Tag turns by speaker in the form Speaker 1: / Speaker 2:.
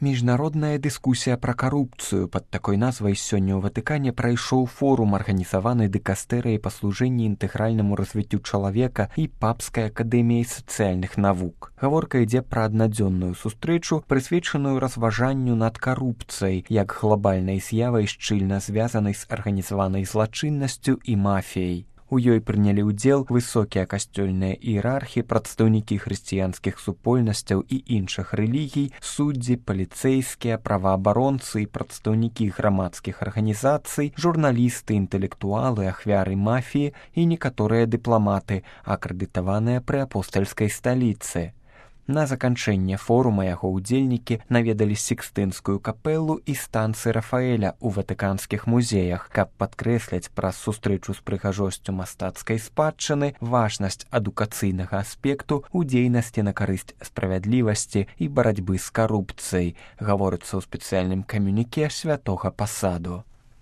Speaker 1: Міжнародная дыскусія пра карупцыю пад такой назвай сёння ў Ватыкане прайшоў форум, арганізаваны дыкастэрыяй па служэнні інтэгральнаму развіццю чалавека і папскай акадэміяй сацыяльных навук. Гаворка ідзе пра аднадзённую сустрэчу, прысвечаную разважанню над карупцыяй, як глобальнай з'явай, шчыльна звязанай з арганізаванай злачыннасцю і мафіяй. У ёй прынялі ўдзел высокія касцёльныя іерархі, прадстаўнікі хрысціянскіх супольнасцяў і іншых рэлігій, суддзі, паліцэйскія, праваабаронцы і прадстаўнікі грамадскіх арганізацый, журналісты, інтэлектуалы, ахвяры мафіі і некаторыя дыпламаты, акрэдытаваныя пры апостальскай сталіцы. На заканчэнне форума яго ўдзельнікі наведалі Сікстынскую капэлу і станцы Рафаэля ў ватыканскіх музеях, каб падкрэсляць праз сустрэчу з прыгажосцю мастацкай спадчыны важнасць адукацыйнага аспекту ў дзейнасці на карысць справядлівасці і барацьбы з карупцыяй, гаворыцца ў спецыяльным камюніке святога пасаду.